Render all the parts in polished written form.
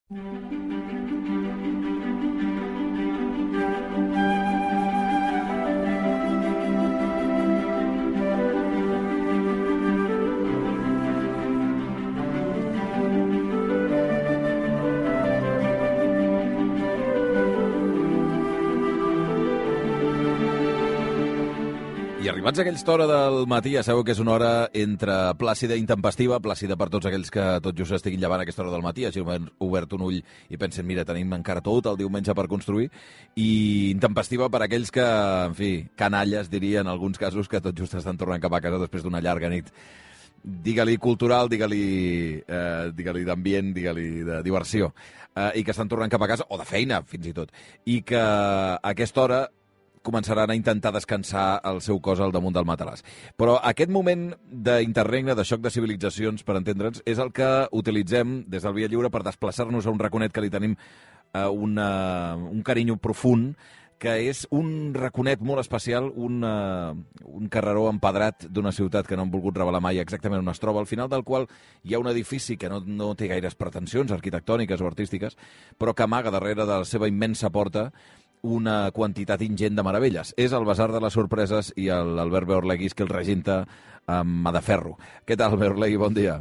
I arribats a aquella hora del matí, ja sabeu que és una hora entre plàcida i intempestiva, plàcida per tots aquells que tot just estiguin llevant a aquesta hora del matí, hagin obert un ull i pensen, mira, tenim encara tot el diumenge per construir, i intempestiva per aquells que, en fi, canalles, diria en alguns casos, que tot just estan tornant cap a casa després d'una llarga nit. Digue-li cultural, digue-li d'ambient, digue-li de diversió, i que estan tornant cap a casa, o de feina, fins i tot, i que a aquesta hora començaran a intentar descansar el seu cos al damunt del matalàs. Però aquest moment d'interregne, de xoc de civilitzacions, per entendre'ns, és el que utilitzem des del Via Lliure per desplaçar-nos a un raconet que li tenim un carinyo profund, que és un raconet molt especial, un carreró empedrat d'una ciutat que no han volgut revelar mai exactament on es troba, al final del qual hi ha un edifici que no té gaires pretensions arquitectòniques o artístiques, però que amaga darrere de la seva immensa porta una quantitat ingent de meravelles. És el Basar de les Sorpreses i l'Albert Beorleguis que el regenta amb mà de ferro. Què tal, Beorlegui? Bon dia.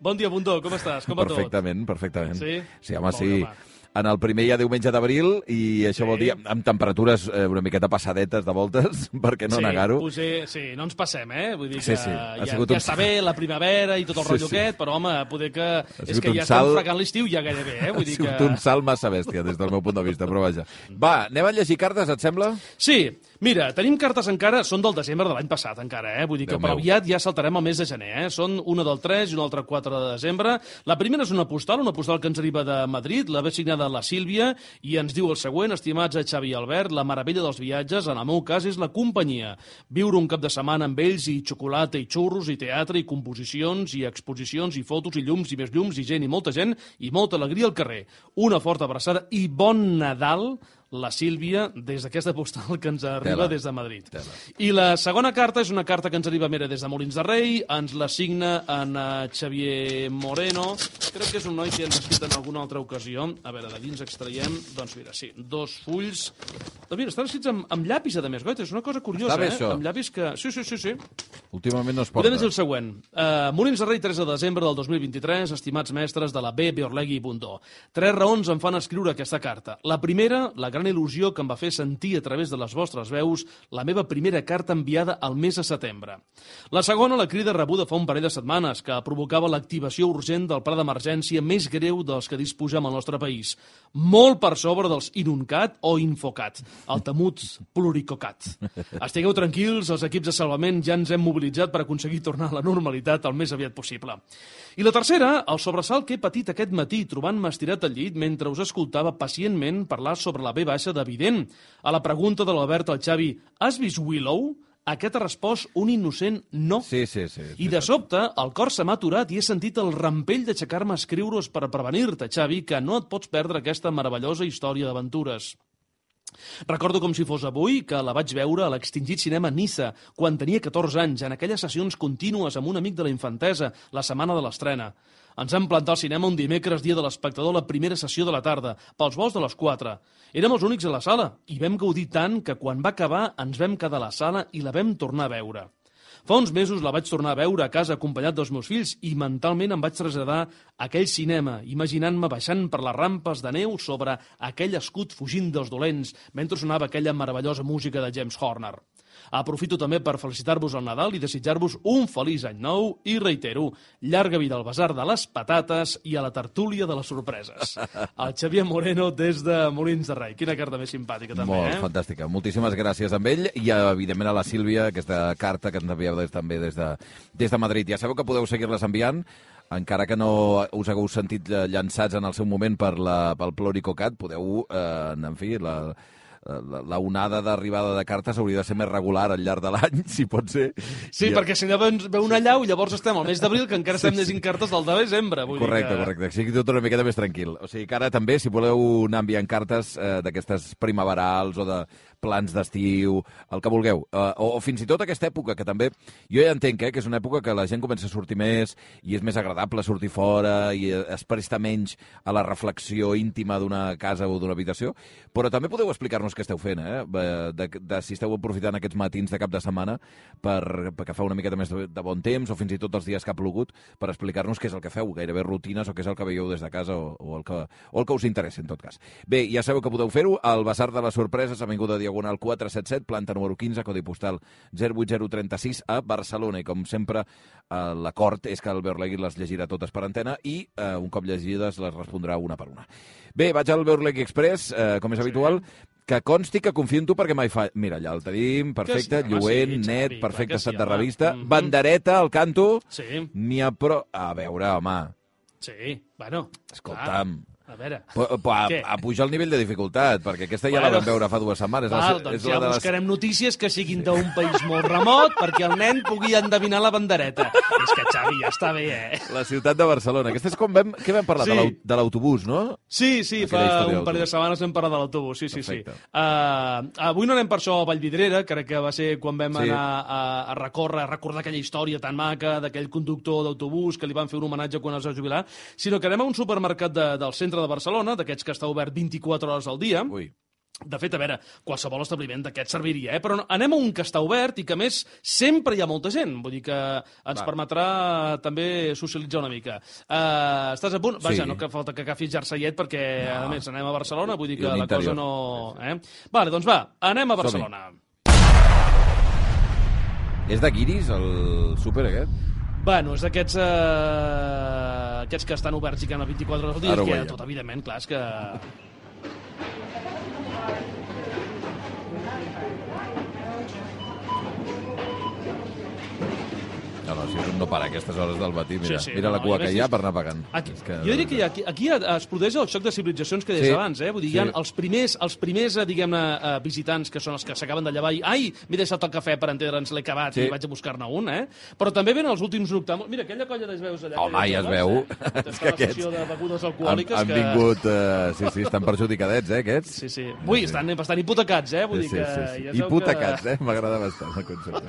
Bon dia, Bundó. Com estàs? Com va tot? Perfectament. Sí? Sí, home, sí. En el primer ja diumenge d'abril, i això vol dir amb temperatures una miqueta passadetes de voltes, per què no negar-ho? Sí, no ens passem, Vull dir que ja està bé la primavera i tot el rotllo aquest, però, home, poder que és que ja estem fregant l'estiu ja gairebé, Vull dir que... Ha sigut un salt massa bèstia, des del meu punt de vista, però vaja. Va, anem a llegir cartes, et sembla? Sí. Mira, tenim cartes encara, són del desembre de l'any passat encara, Vull dir que per aviat ja saltarem el mes de gener, Són una del 3 i una altra 4 de desembre. La primera és una postal que ens arriba de Madrid, la ve signada la Sílvia, i ens diu el següent: estimats a Xavi i Albert, la meravella dels viatges, en el meu cas, és la companyia. Viure un cap de setmana amb ells i xocolata i xurros i teatre i composicions i exposicions i fotos i llums i més llums i gent i molta alegria al carrer. Una forta abraçada i bon Nadal, la Sílvia, des d'aquesta postal que ens arriba des de Madrid. I la segona carta és una carta que ens arriba des de Molins de Rei, ens la signa en Xavier Moreno, crec que és un noi que ens ha escrit en alguna altra ocasió. A veure, de dins extraiem, doncs mira, sí, 2 fulls. Doncs mira, estan escrits amb llapis, a més, és una cosa curiosa, Està bé, això. Amb llapis que... Sí. Últimament no es porta. Podem dir el següent. Molins de Rei, 3 de desembre del 2023, estimats mestres de la B, Beorlegui i Bundó. 3 raons em fan escriure aquesta carta. La primera, la gran il·lusió que em va fer sentir a través de les vostres veus la meva primera carta enviada al mes de setembre. La segona, la crida rebuda fa un parell de setmanes, que provocava l'activació urgent del pla d'emergència més greu dels que disposem al nostre país. Molt per sobre dels Inuncat o Infocat, el temut Pluricocat. Estigueu tranquils, els equips de salvament ja ens hem mobilitzat per aconseguir tornar a la normalitat el més aviat possible. I la tercera, el sobresalt que he patit aquest matí trobant-me estirat al llit mentre us escoltava pacientment parlar sobre la B baixa de Vident. A la pregunta de l'Albert al Xavi, has vist Willow? Aquest ha respost un innocent no. Sí. I de sobte, el cor se m'ha aturat i he sentit el rampell d'aixecar-me a escriure-us per prevenir-te, Xavi, que no et pots perdre aquesta meravellosa història d'aventures. Recordo com si fos avui que la vaig veure a l'extingit cinema Niça, quan tenia 14 anys, en aquelles sessions contínues amb un amic de la infantesa, la setmana de l'estrena. Ens vam plantar al cinema un dimecres, dia de l'espectador, la primera sessió de la tarda, pels vols de les 4. Érem els únics a la sala, i vam gaudir tant que quan va acabar ens vam quedar a la sala i la vam tornar a veure. Fa uns mesos la vaig tornar a veure a casa acompanyat dels meus fills i mentalment em vaig traslladar a aquell cinema, imaginant-me baixant per les rampes de neu sobre aquell escut fugint dels dolents mentre sonava aquella meravellosa música de James Horner. Aprofito també per felicitar-vos al Nadal i desitjar-vos un feliç any nou i reitero, llarga vida al Basar de les Patates i a la tertúlia de les sorpreses. El Xavier Moreno des de Molins de Rei. Quina carta més simpàtica també, Molt fantàstica. Moltíssimes gràcies amb ell i evidentment a la Sílvia, aquesta carta que ens envieu també des de Madrid. Ja sabeu que podeu seguir-les enviant, encara que no us hagueu sentit llançats en el seu moment pel Pluricocat, podeu, en fi, la onada d'arribada de cartes hauria de ser més regular al llarg de l'any, si pot ser. Sí, perquè si no ve una allau i llavors estem al mes d'abril, que encara estem llegint cartes del de desembre. Correcte, que sigui tot una miqueta més tranquil. O sigui que ara també, si voleu anar enviant cartes d'aquestes primaverals o de plans d'estiu, el que vulgueu. O fins i tot aquesta època, que també... Jo ja entenc que és una època que la gent comença a sortir més i és més agradable sortir fora i es presta menys a la reflexió íntima d'una casa o d'una habitació, però també podeu explicar-nos què esteu fent, de si esteu aprofitant aquests matins de cap de setmana perquè fa una miqueta més de bon temps o fins i tot els dies que ha plogut per explicar-nos què és el que feu, gairebé rutines o què és el que veieu des de casa o el que us interessa, en tot cas. Bé, ja sabeu que podeu fer-ho al Basar de les Sorpreses, Avinguda Diagonal 477, planta número 15, codi postal 08036 a Barcelona. I com sempre, l'acord és que el Beorlegui les llegirà totes per antena i un cop llegides les respondrà una per una. Bé, vaig al Beorlegui Express, com és habitual, que consti que confio en tu perquè mai fa... Mira, allà el tenim, perfecte, lluent, net, perfecte estat de revista, bandereta al canto, n'hi ha però... A veure, home... Sí, bueno... Escolta'm... A veure... A pujar el nivell de dificultat, perquè aquesta ja la vam veure fa 2 setmanes. Doncs ja buscarem notícies que siguin d'un país molt remot perquè el nen pugui endevinar la bandereta. És que, Xavi, ja està bé, La ciutat de Barcelona. Aquesta és com vam... Què vam parlar? De l'autobús, no? Sí, fa un parell de setmanes vam parlar de l'autobús, sí. Avui no anem per això a Vallvidrera, crec que va ser quan vam anar a recordar aquella història tan maca d'aquell conductor d'autobús que li van fer un homenatge quan es va jubilar, sinó que anem a un supermercat del centre de Barcelona, d'aquests que està obert 24 hores al dia. Ui. De fet, a veure, qualsevol establiment d'aquest serviria, però anem a un que està obert i que, a més, sempre hi ha molta gent. Vull dir que ens permetrà també socialitzar una mica. Estàs a punt? Vaja, no que falta que agafis jerseiet perquè, a més, anem a Barcelona, vull dir que la cosa no... Vale, doncs va, anem a Barcelona. És de guiris, el súper aquest? Bueno, és d'aquests que estan oberts i que han 24 hores al dia, que tot, evidentment, clar, és que... No, si no para a aquestes hores del matí, mira la cua que hi ha per anar pagant. Jo diria que aquí es produeix el xoc de civilitzacions que deies abans, Vull dir, hi ha els primers diguem-ne, visitants que són els que s'acaben de llevar i m'he deixat el cafè per entendre'ns, l'he acabat i vaig a buscar-ne un, Però també venen els últims noctàmbuls. Mira, aquella colla de veus allà. Home, ja es veu. És que aquests de begudes alcohòliques han vingut... Sí, estan perjudicadets, aquests. Sí. Ui, estan hipotecats, Vull dir que... Hipotecats, M'agrada bastant el concepte.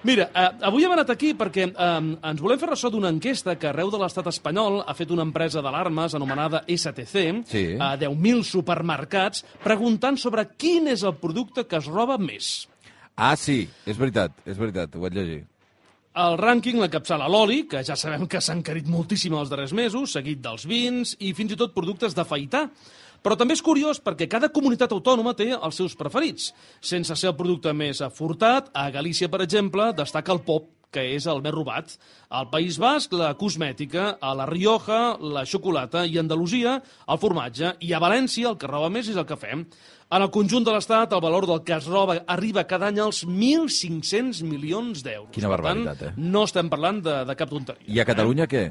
Mira, avui hem anat aquí perquè ens volem fer ressò d'una enquesta que arreu de l'estat espanyol ha fet una empresa d'alarmes anomenada STC a 10.000 supermercats preguntant sobre quin és el producte que es roba més. Ah, sí, és veritat, ho vaig llegir. El rànquing l'encapçala l'oli, que ja sabem que s'ha encarit moltíssim els darrers mesos, seguit dels vins i fins i tot productes d'afaitar. Però també és curiós perquè cada comunitat autònoma té els seus preferits. Sense ser el producte més afortat, a Galícia, per exemple, destaca el pop, que és el més robat. Al País Basc, la cosmètica, a la Rioja, la xocolata i a Andalusia, el formatge. I a València, el que roba més és el cafè. En el conjunt de l'Estat, el valor del que es roba arriba cada any als 1.500 milions d'euros. Quina barbaritat, Per tant, no estem parlant de cap tonteria. I a Catalunya què?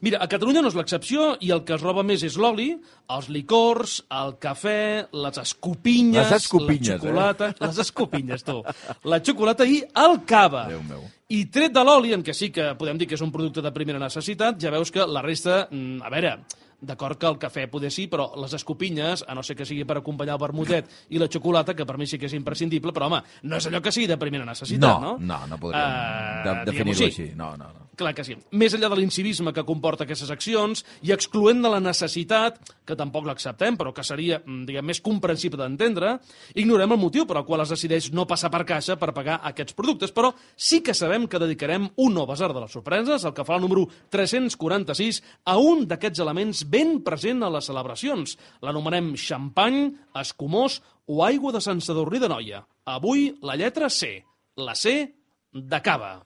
Mira, a Catalunya no és l'excepció i el que es roba més és l'oli, els licors, el cafè, les escopinyes, la xocolata... Les escopinyes, tu. La xocolata i el cava. Déu meu. I tret de l'oli, en què sí que podem dir que és un producte de primera necessitat, ja veus que la resta... A veure, d'acord que el cafè poder sí, però les escopinyes, a no ser que sigui per acompanyar el vermutet i la xocolata, que per mi sí que és imprescindible, però, home, no és allò que sigui de primera necessitat, no? No podríem definir-ho així. No. Clar que sí. Més enllà de l'incivisme que comporta aquestes accions i excloent de la necessitat, que tampoc l'acceptem, però que seria, diguem, més comprensible d'entendre, ignorem el motiu per al qual es decideix no passar per caixa per pagar aquests productes, però sí que sabem que dedicarem un nou basar de les sorpreses, el que fa el número 346, a un d'aquests elements ben present a les celebracions. L'anomenem xampany, escumós o aigua de Sant Sadurní d'Anoia. Avui la lletra C, la C de cava.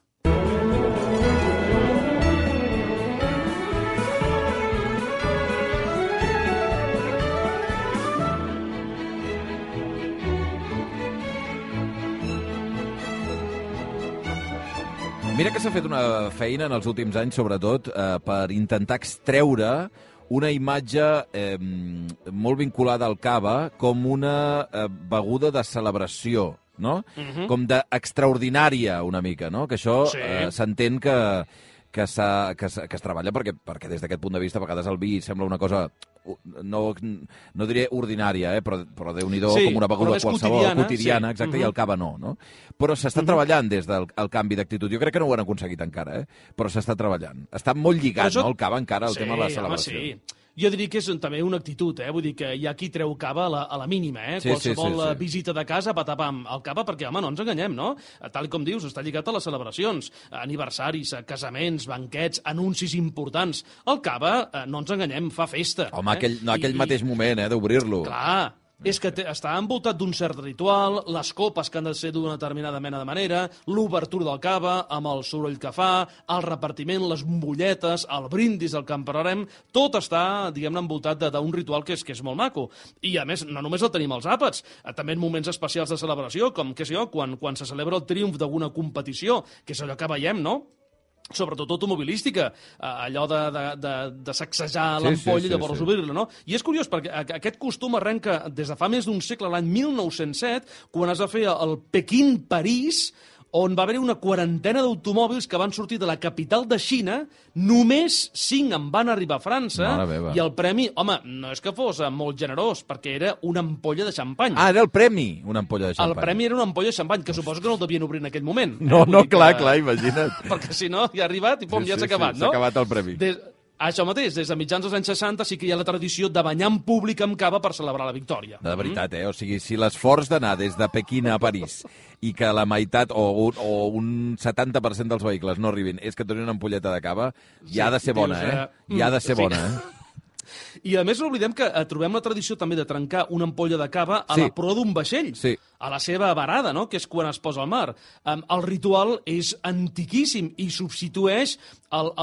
Mira que s'ha fet una feina en els últims anys, sobretot, per intentar extreure una imatge molt vinculada al cava com una beguda de celebració, no? Com d'extraordinària, una mica, no? Que això s'entén que es treballa perquè des d'aquest punt de vista a vegades el vi sembla una cosa, no diré ordinària, però Déu-n'hi-do, com una beguda qualsevol, quotidiana, exacte, i el cava no? Però s'està treballant des del canvi d'actitud. Jo crec que no ho han aconseguit encara, però s'està treballant. Està molt lligat, no, el cava encara, al tema de la celebració. Sí. Jo diria que és també una actitud, vull dir que hi ha qui treu cava a la mínima, qualsevol visita de casa, patapam, el cava, perquè, home, no ens enganyem, no? Tal com dius, està lligat a les celebracions, aniversaris, casaments, banquets, anuncis importants. El cava, no ens enganyem, fa festa. Home, aquell mateix moment, d'obrir-lo. Clar, és que està envoltat d'un cert ritual, les copes que han de ser d'una determinada mena de manera, l'obertura del cava, amb el soroll que fa, el repartiment, les bombolletes, el brindis del que en parlarem, tot està, diguem-ne, envoltat d'un ritual que és molt maco. I, a més, no només el tenim als àpats, també en moments especials de celebració, com, què sé jo, quan se celebra el triomf d'alguna competició, que és allò que veiem, no?, sobretot automobilística, allò de sacsejar l'ampolla i llavors obrir-la, no? I és curiós, perquè aquest costum arrenca des de fa més d'un segle, l'any 1907, quan es va fer el Pequín-París, on va haver una quarantena d'automòbils que van sortir de la capital de Xina, només 5 en van arribar a França, i el premi, home, no és que fos molt generós, perquè era una ampolla de xampany. Ah, era el premi, una ampolla de xampany. El premi era una ampolla de xampany, que suposo que no el devien obrir en aquell moment. No, clar, imagina't. Perquè si no, ja ha arribat i ja s'ha acabat, no? S'ha acabat el premi. Això mateix, des de mitjans dels anys 60 sí que hi ha la tradició de banyar en públic amb cava per celebrar la victòria. De veritat, O sigui, si l'esforç d'anar des de Pequín a París i que la meitat o un 70% dels vehicles no arribin és que et donin una ampolleta de cava, ja ha de ser bona, Ja ha de ser bona, I, a més, no oblidem que trobem la tradició també de trencar una ampolla de cava a la proa d'un vaixell, a la seva varada, no?, que és quan es posa al mar. El ritual és antiquíssim i substitueix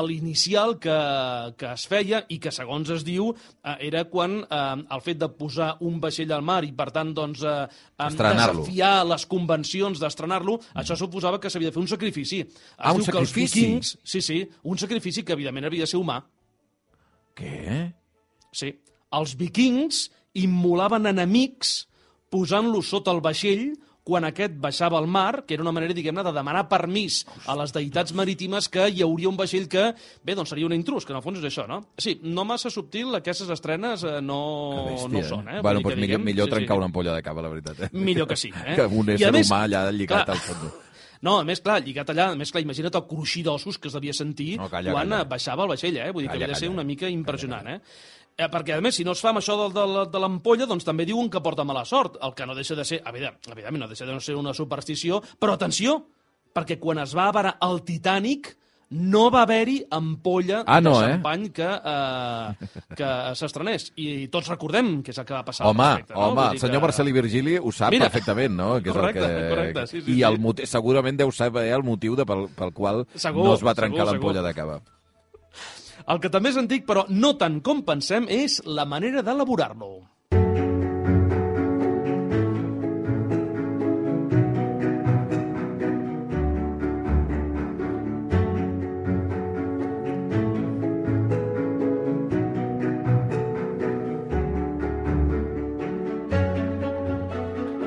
l'inicial que es feia i que, segons es diu, era quan el fet de posar un vaixell al mar i, per tant, doncs, desafiar les convencions d'estrenar-lo, això suposava que s'havia de fer un sacrifici. Un sacrifici? Sí, un sacrifici que, evidentment, havia de ser humà. Què? Sí. Els vikings immolaven enemics posant-los sota el vaixell quan aquest baixava al mar, que era una manera, diguem-ne, de demanar permís a les deïtats marítimes que hi hauria un vaixell que, bé, doncs seria un intrus, que en el fons és això, no? Sí, no massa subtil, aquestes estrenes no són, Bueno, doncs millor trencar una ampolla de cava, la veritat. Millor que sí, Que un ésser humà allà lligat al fons. No, a més, clar, lligat allà, imagina't el cruixir d'ossos que es devia sentir quan baixava el vaixell, Vull dir que havia de ser una mica impressionant, Perquè, a més, si no es fa amb això de l'ampolla, doncs també diuen que porta mala sort, el que no deixa de ser, evidentment, no deixa de ser una superstició, però atenció, perquè quan es va avarar el Titanic no va haver-hi ampolla de xampany que s'estrenés. I tots recordem què és el que va passar. Home, el senyor Marcel·lí Virgili ho sap perfectament, no? Correcte, sí. I segurament deu saber el motiu pel qual no es va trencar l'ampolla de cava. El que també és antic, però no tant com pensem, és la manera d'elaborar-lo.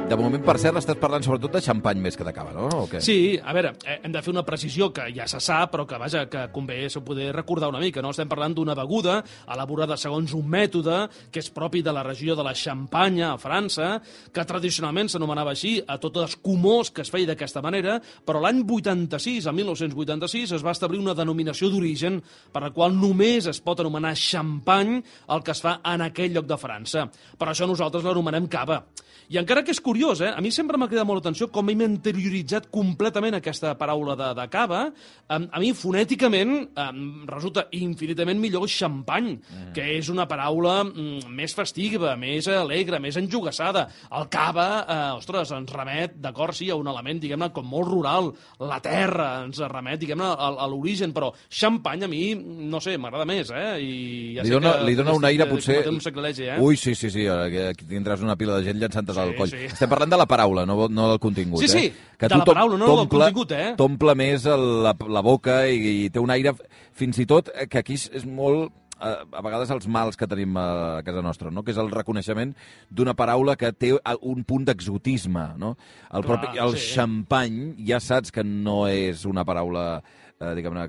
De moment, per cert, estàs parlant sobretot de xampany més que de cava, no? O què? Sí, a veure, hem de fer una precisió que ja se sap, però que, vaja, que convé poder recordar una mica, no? Estem parlant d'una beguda elaborada segons un mètode que és propi de la regió de la Xampanya, a França, que tradicionalment s'anomenava així a tots els comors que es feia d'aquesta manera, però l'any 86, el 1986, es va establir una denominació d'origen per la qual només es pot anomenar xampany el que es fa en aquell lloc de França. Per això nosaltres l'anomenem cava. I encara que és curiós, a mi sempre m'ha cridat molt l'atenció com hem interioritzat completament aquesta paraula de cava. A mi, fonèticament, resulta infinitament millor xampany, que és una paraula més festiva, més alegre, més enjogassada. El cava, ostres, ens remet, d'acord, sí, a un element, diguem-ne, com molt rural. La terra ens remet, diguem-ne, a l'origen, però xampany a mi, no sé, m'agrada més, I ja li dona un aire, potser... Un sacrilegi, Ui, sí, aquí tindràs una pila de gent llançant al coll. Sí. Estem parlant de la paraula, no del contingut. Sí, que de la paraula, no del contingut, T'omple més la boca i té un aire, fins i tot, que aquí és molt a vegades els mals que tenim a casa nostra, no? Que és el reconeixement d'una paraula que té un punt d'exotisme, no? El xampany ja saps que no és una paraula diguem-ne,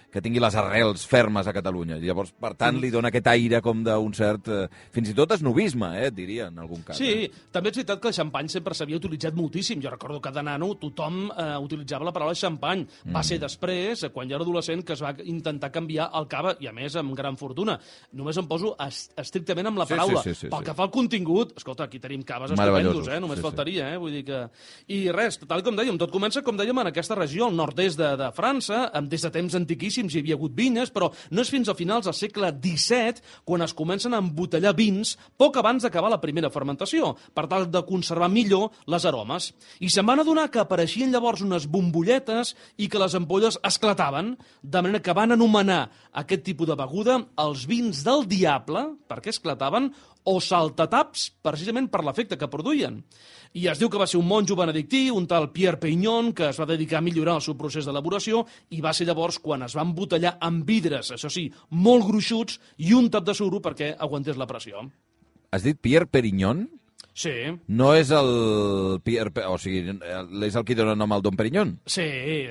que tingui les arrels fermes a Catalunya. Llavors, per tant, li dona aquest aire com d'un cert... fins i tot esnovisme, diria, en algun cas. Sí, també és veritat que el xampany sempre s'havia utilitzat moltíssim. Jo recordo que de nano tothom utilitzava la paraula xampany. Va ser després, quan jo era adolescent, que es va intentar canviar el cava, i a més amb gran fortuna. Només em poso estrictament amb la paraula. Sí. Pel que fa al contingut, escolta, aquí tenim caves estupendos, només faltaria, vull dir que... I res, tal com dèiem, tot comença, com dèiem, en aquesta regió, al nord-est de França, des de temps antiquíssims hi havia hagut vinyes, però no és fins a finals del segle XVII quan es comencen a embotellar vins poc abans d'acabar la primera fermentació, per tal de conservar millor les aromes. I se'n van adonar que apareixien llavors unes bombolletes i que les ampolles esclataven, de manera que van anomenar aquest tipus de beguda els vins del diable, perquè esclataven, o saltataps, precisament per l'efecte que produïen. I es diu que va ser un monjo benedictí, un tal Pierre Peignon, que es va dedicar a millorar el seu procés d'elaboració, i va ser llavors quan es van embotellar amb vidres, això sí, molt gruixuts, i un tap de suro perquè aguantés la pressió. Has dit Pierre Perignon? Sí. No és el Pierre... O sigui, és el qui dona nom al Dom Perignon? Sí,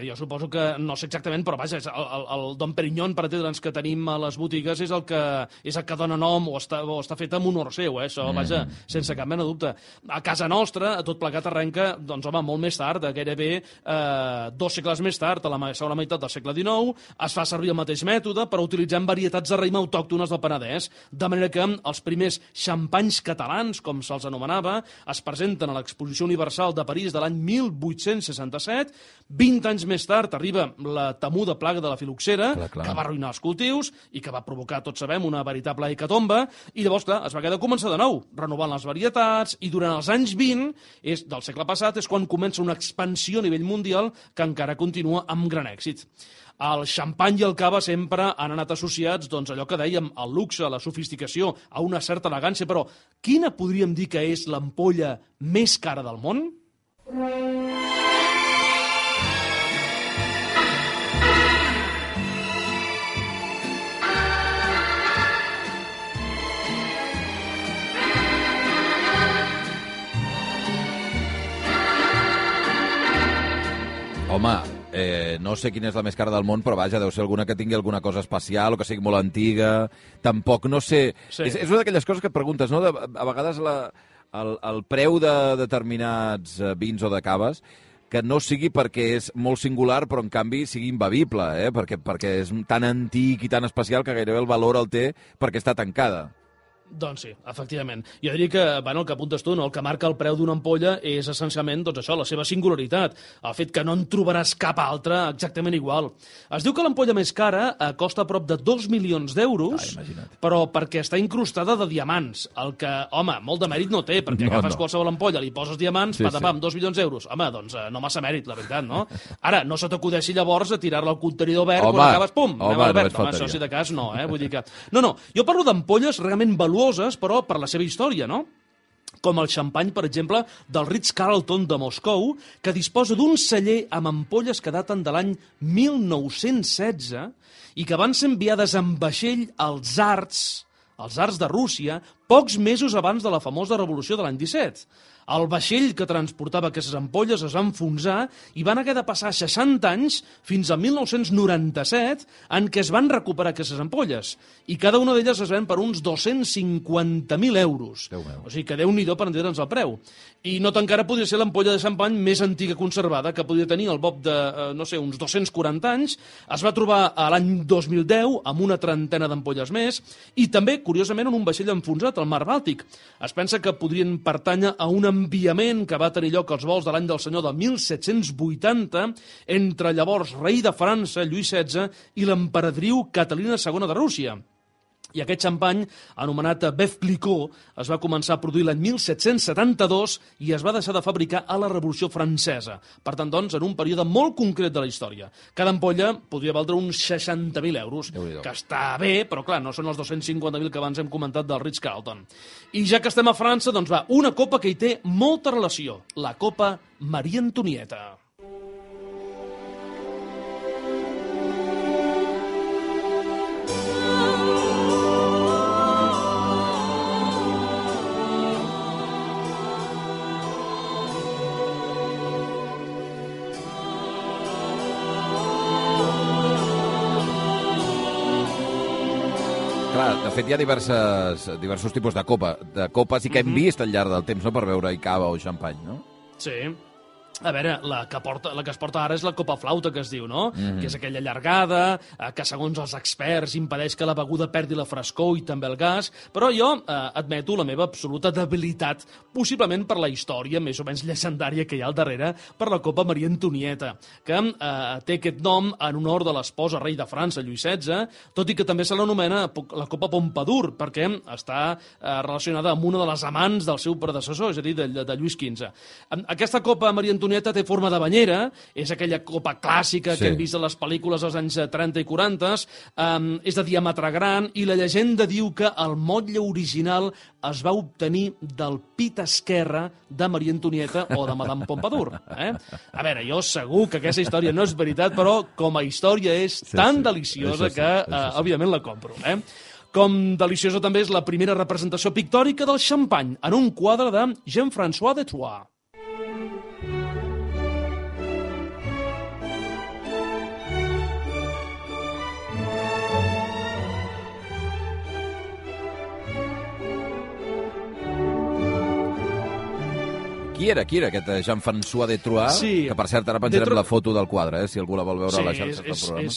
jo suposo que... No sé exactament, però vaja, el Dom Perignon, per entendre'ns, que tenim a les botigues és el que dona nom o està fet en honor seu, Això, vaja, sense cap mena de dubte. A casa nostra, tot plegat arrenca, doncs, home, molt més tard, gairebé 2 segles més tard, a la segona meitat del segle XIX, es fa servir el mateix mètode, però utilitzant varietats de raïm autòctones del Penedès, de manera que els primers xampanys catalans, com se'ls anomenava, es presenten a l'Exposició Universal de París de l'any 1867. 20 anys més tard arriba la temuda plaga de la filoxera, que va arruïnar els cultius i que va provocar, tots sabem, una veritable hecatombe. I llavors, clar, es va haver de començar de nou, renovant les varietats, i durant els anys 20 del segle passat és quan comença una expansió a nivell mundial que encara continua amb gran èxit. El xampany i el cava sempre han anat associats, doncs, allò que dèiem, al luxe, a la sofisticació, a una certa elegància, però quina podríem dir que és l'ampolla més cara del món? Home, no sé quina és la més cara del món, però vaja, deu ser alguna que tingui alguna cosa especial o que sigui molt antiga. Tampoc no sé... Sí. És una d'aquelles coses que et preguntes, no? A vegades el preu de determinats vins o de caves que no sigui perquè és molt singular, però en canvi sigui imbevible, perquè és tan antic i tan especial que gairebé el valor el té perquè està tancada. Doncs sí, efectivament. Jo diria que, el que apuntes tu, el que marca el preu d'una ampolla és essencialment, això, la seva singularitat, el fet que no en trobaràs cap altra exactament igual. Es diu que l'ampolla més cara costa prop de 2 milions d'euros, però perquè està incrustada de diamants, el que, home, molt de mèrit no té, perquè agafes qualsevol ampolla, li poses diamants, patapam, 2 milions d'euros. Home, doncs no massa mèrit, la veritat, no? Ara, no se t'acudeixi llavors a tirar-la al contenidor verd quan acabes, pum, anem al verd. Home, això sí de cas no, vull dir que... No, jo parlo d'ampolles realment però per la seva història, no? Com el xampany, per exemple, del Ritz-Carlton de Moscou, que disposa d'un celler amb ampolles que daten de l'any 1916 i que van ser enviades en vaixell als tsars de Rússia, pocs mesos abans de la famosa revolució de l'any 17. El vaixell que transportava aquestes ampolles es va enfonsar i van haver de passar 60 anys fins al 1997 en què es van recuperar aquestes ampolles. I cada una d'elles es ven per uns 250.000 euros. O sigui que Déu-n'hi-do per entendre'ns el preu. I nota encara podria ser l'ampolla de xampany més antiga conservada, que podria tenir el bob de, uns 240 anys. Es va trobar a l'any 2010 amb una trentena d'ampolles més i també, curiosament, en un vaixell enfonsat al Mar Bàltic. Es pensa que podrien pertànyer a un enviament que va tenir lloc als vols de l'any del senyor de 1780 entre llavors rei de França, Lluís XVI, i l'emperadriu Catalina II de Rússia. I aquest xampany, anomenat Veuve Clicquot, es va començar a produir l'any 1772 i es va deixar de fabricar a la Revolució Francesa. Per tant, doncs, en un període molt concret de la història. Cada ampolla podria valdre uns 60.000 euros, que està bé, però clar, no són els 250.000 que abans hem comentat del Ritz-Carlton. I ja que estem a França, doncs va, una copa que hi té molta relació, la Copa Maria Antonieta. De fet, hi ha diversos tipus de copes i que hem vist al llarg del temps, no?, per beure cava o xampany, no? Sí. A veure, la que es porta ara és la copa flauta, que es diu, no? Que és aquella allargada, que segons els experts impedeix que la beguda perdi la frescor i també el gas, però jo admeto la meva absoluta debilitat, possiblement per la història més o menys llegendària que hi ha al darrere, per la copa Maria Antonieta, que té aquest nom en honor de l'esposa rei de França, Lluís XVI, tot i que també se l'anomena la copa Pompadour, perquè està relacionada amb una de les amants del seu predecessor, és a dir, de Lluís XV. Aquesta copa Maria Antonieta té forma de banyera, és aquella copa clàssica que hem vist a les pel·lícules dels anys 30 i 40, és de diàmetre gran, i la llegenda diu que el motlle original es va obtenir del pit esquerre de Maria Antonieta o de Madame Pompadour. A veure, jo segur que aquesta història no és veritat, però com a història és tan deliciosa que, òbviament, la compro. Com deliciosa també és la primera representació pictòrica del xampany en un quadre de Jean-François de Troyes. Qui era aquest Jean-François de Troyes? Sí, que, per cert, ara penjarem la foto del quadre, si algú la vol veure a les xarxes del programa.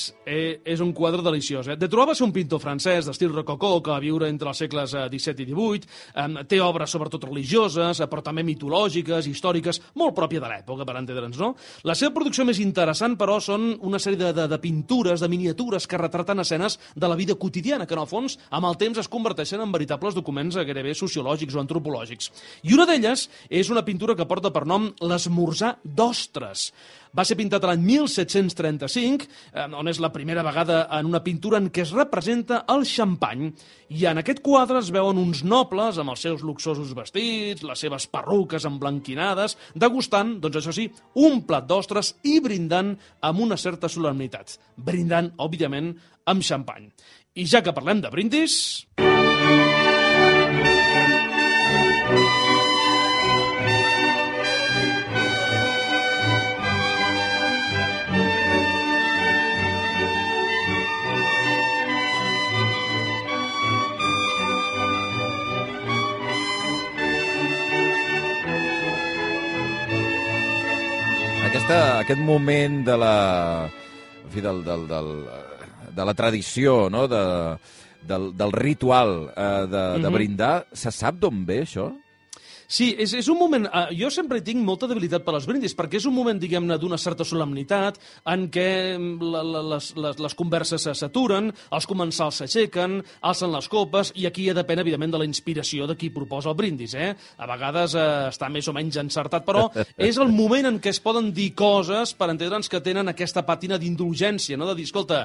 És un quadre deliciós. De Troyes va ser un pintor francès d'estil rococó que va viure entre els segles XVII i XVIII. Té obres sobretot religioses, però també mitològiques, històriques, molt pròpia de l'època, per entendre'ns, no? La seva producció més interessant, però, són una sèrie de pintures, de miniatures que retraten escenes de la vida quotidiana, que, en el fons, amb el temps es converteixen en veritables documents gairebé sociològics o antropològics. I una d'elles és una pintura que porta per nom l'Esmorzar d'Ostres. Va ser pintat l'any 1735, on és la primera vegada en una pintura en què es representa el xampany. I en aquest quadre es veuen uns nobles amb els seus luxosos vestits, les seves perruques emblanquinades, degustant, doncs això sí, un plat d'ostres i brindant amb una certa solemnitat. Brindant, òbviament, amb xampany. I ja que parlem de brindis... Aquest moment de la tradició, no?, del ritual de brindar, se sap d'on ve això? Sí, és un moment... Jo sempre tinc molta debilitat per als brindis, perquè és un moment, diguem-ne, d'una certa solemnitat, en què les converses s'aturen, els comensals s'aixequen, alcen les copes, i aquí ja depèn, evidentment, de la inspiració de qui proposa el brindis, A vegades està més o menys encertat, però és el moment en què es poden dir coses, per entendre'ns, que tenen aquesta pàtina d'indulgència, no?, de dir, escolta,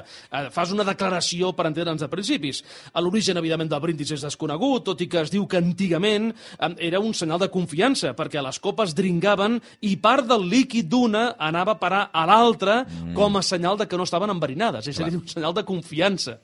fas una declaració per entendre'ns de principis. L'origen, evidentment, del brindis és desconegut, tot i que es diu que antigament era un senyal de confiança, perquè les copes dringaven i part del líquid d'una anava a parar a l'altra com a senyal de que no estaven enverinades. És a dir, un senyal de confiança.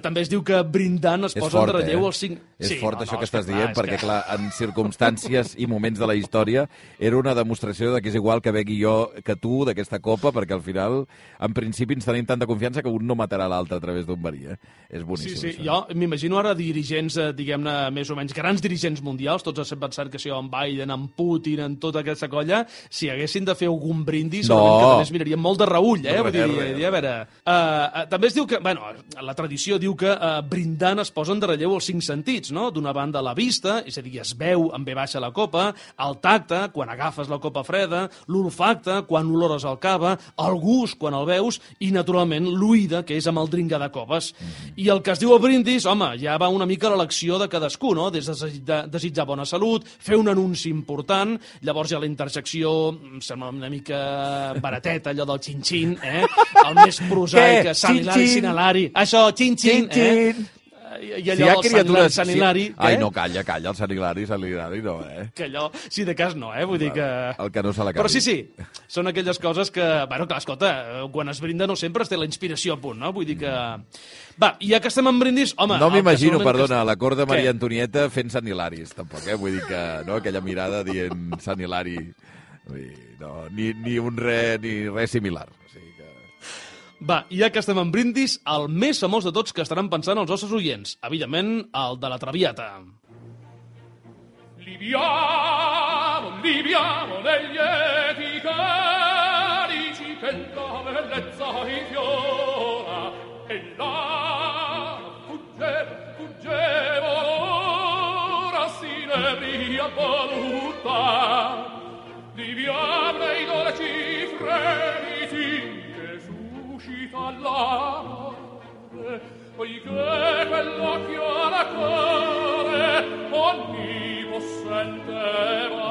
També es diu que brindant es posa en relleu els 5... És fort això que estàs dient, perquè, clar, en circumstàncies i moments de la història era una demostració de que és igual que begui jo que tu d'aquesta copa, perquè al final, en principi, ens tenim tanta confiança que un no matarà l'altre a través d'un verí. És boníssim. Sí, jo m'imagino ara dirigents, diguem-ne, més o menys grans dirigents mundials, tots estem pensant que si en Biden, en Putin, en tota aquesta colla, si haguessin de fer algun brindis, segurament que també es mirarien molt de reull, Vull dir, a veure... També es diu que, bueno, la tradició diu que brindant es posen de relleu els 5 sentits, no? D'una banda la vista, és a dir, es veu en ve baixa la copa, el tacte, quan agafes la copa freda, l'olfacte, quan olores el cava, el gust, quan el veus, i, naturalment, l'oïda, que és amb el dringar de copes. I el que es diu el brindis, home, ja va una mica a l'elecció de cadascú, no? Des de desitjar bona salut, fer un anunci important, llavors hi ha la interjecció, em sembla una mica barateta, allò del xin-xin, el més prosaic, Sanilari, Sinalari, això, xin-xin, i allò del Sant Hilari... Ai, no, calla, el Sant Hilari no, Que allò, si de cas no, vull dir que... El que no se l'acabi. Però sí, són aquelles coses que, bueno, clar, escolta, quan es brinda no sempre es té la inspiració a punt, no? Vull dir que... Va, i ja que estem en brindis, home... No m'imagino, perdona, la cort de Maria Antonieta fent Sant Hilaris, tampoc, Vull dir que, no?, aquella mirada dient Sant Hilari... No, ni res similar, o sigui que... Va, ja que estem en brindis, el més famós de tots que estaran pensant els nostres oients. Evidentment, el de la Traviata. Libiamo negli eti carici che la bellezza infiora e là fuggevo l'ora sinebria voluta Libiamo nei dolci fremiti che suscita l'amore poiché quell'occhio alla cuore onnipotente va.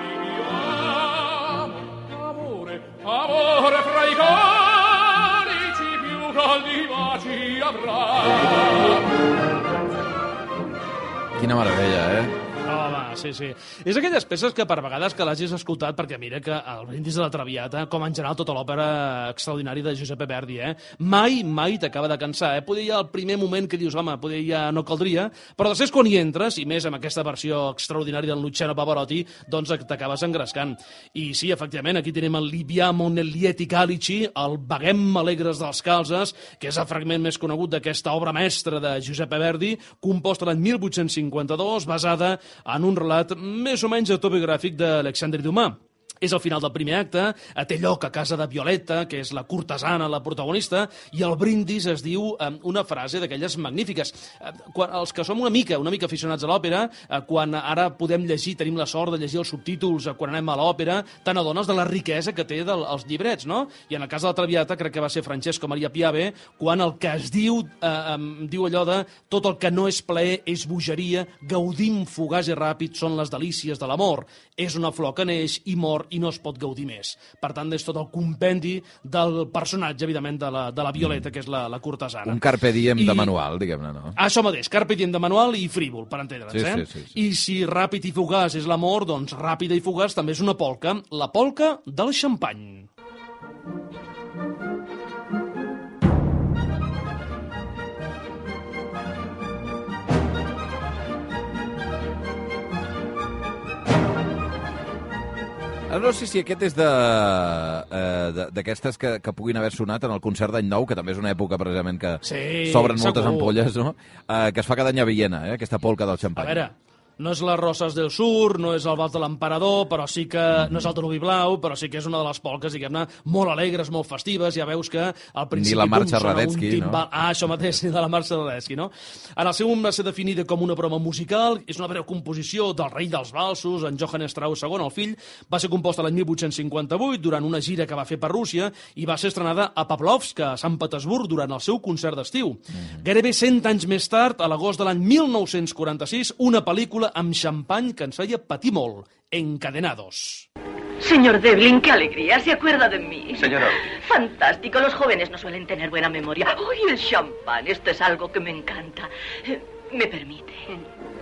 Viviamo, amore fra i calici più caldi baci avrà. Quina meravella, Home, sí. És aquelles peces que per vegades que l'hagis escoltat, perquè mira que el Brindis de la Traviata, com en general tota l'òpera extraordinària de Giuseppe Verdi, mai t'acaba de cansar. Poder hi ha el primer moment que dius, home, poder ja no caldria, però després quan hi entres, i més amb aquesta versió extraordinària del Luciano Pavarotti, doncs t'acabes engrescant. I sí, efectivament, aquí tenim el Libiamo negli lieti calici, el Beguem alegres dels calzes, que és el fragment més conegut d'aquesta obra mestra de Giuseppe Verdi, composta l'any 1852, basada en un relat més o menys autobiogràfic d'Alexandre Dumas. És el final del primer acte, té lloc a casa de Violeta, que és la cortesana, la protagonista, i el brindis es diu una frase d'aquelles magnífiques. Els que som una mica aficionats a l'òpera, quan ara podem llegir, tenim la sort de llegir els subtítols quan anem a l'òpera, te n'adones de la riquesa que té els llibrets, no? I en el cas de la Traviata, crec que va ser Francesco Maria Piave, quan el que es diu allò de tot el que no és plaer és bogeria, gaudim fugaç i ràpid són les delícies de l'amor. És una flor que neix i mor i no es pot gaudir més. Per tant, és tot el compendi del personatge, evidentment, de la Violeta, que és la cortesana. Un carpe diem de manual, diguem-ne, no? Això mateix, carpe diem de manual i frívol, per entendre'ns, Sí. I si ràpid i fugaç és l'amor, doncs ràpida i fugaç també és una polca, la polca del xampany. No sé si aquest és d'aquestes que puguin haver sonat en el concert d'Any Nou, que també és una època precisament que s'obren moltes ampolles, no? Que es fa cada any a Viena, aquesta polca del xampany. A veure, no és les Roses del Sur, no és el Vals de l'Emperador, però sí que no és el Danubi Blau, però sí que és una de les polques, diguem-ne, molt alegres, molt festives. Ja veus que al principi... Ni la marxa Radetzky, no? Això mateix, ni de la marxa Radetzky, no? En el seu moment va ser definida com una broma musical, és una breu composició del rei dels valsos, en Johann Strauss II, el fill, va ser composta l'any 1858 durant una gira que va fer per Rússia i va ser estrenada a Pavlovsk, a Sant Petersburg, durant el seu concert d'estiu. Gairebé 100 anys més tard, a l'agost de l'any 1946, una pel·lícula amb xampany que ens feia patir molt, Encadenados. Señor Devlin, qué alegría, se acuerda de mí. Señora. Fantástico, los jóvenes no suelen tener buena memoria. ¡Ay, el champán! Esto es algo que me encanta. ¿Me permite?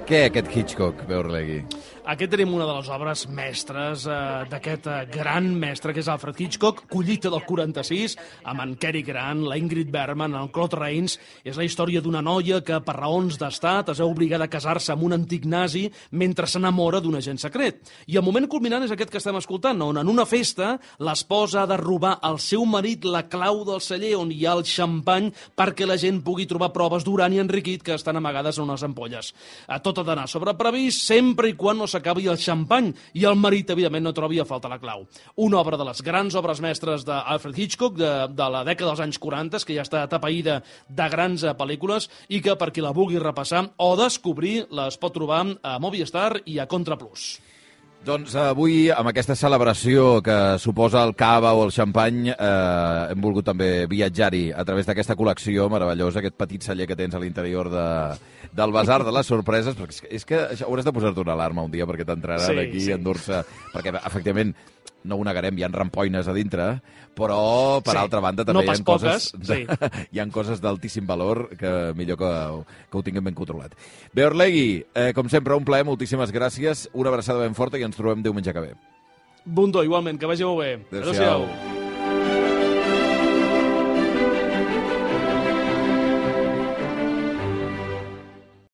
Què, aquest Hitchcock, Beorlegui? Aquí tenim una de les obres mestres d'aquest gran mestre, que és Alfred Hitchcock, Collita del 46, amb en Cary Grant, la Ingrid Bergman, el Claude Rains. És la història d'una noia que, per raons d'estat, es veu obligada a casar-se amb un antic nazi mentre s'enamora d'un agent secret. I el moment culminant és aquest que estem escoltant, on en una festa l'esposa ha de robar al seu marit la clau del celler on hi ha el xampany perquè la gent pugui trobar proves d'urani enriquit que estan amagades en unes ampolles. Tot ha d'anar sobre previst sempre i quan no s'acabi el xampany i el marit, evidentment, no trobi a falta la clau. Una obra de les grans obres mestres d'Alfred Hitchcock de la dècada dels anys 40, que ja està atapeïda de grans pel·lícules i que, per qui la vulgui repassar o descobrir, les pot trobar a Movistar i a Contra Plus. Doncs avui, amb aquesta celebració que suposa el cava o el xampany, hem volgut també viatjar-hi a través d'aquesta col·lecció meravellosa, aquest petit celler que tens a l'interior del Basar de les Sorpreses, perquè és que hauràs de posar-te una alarma un dia perquè t'entrarà d'aquí a endur-se, perquè efectivament no ho negarem, hi ha rampoines a dintre, però per altra banda també no hi ha coses hi ha coses d'altíssim valor que millor que ho tinguem ben controlat. Beorlegui, com sempre, un plaer, moltíssimes gràcies, una abraçada ben forta i ens trobem diumenge que ve. Bundó, igualment, que vagi molt bé. Adéu-siau.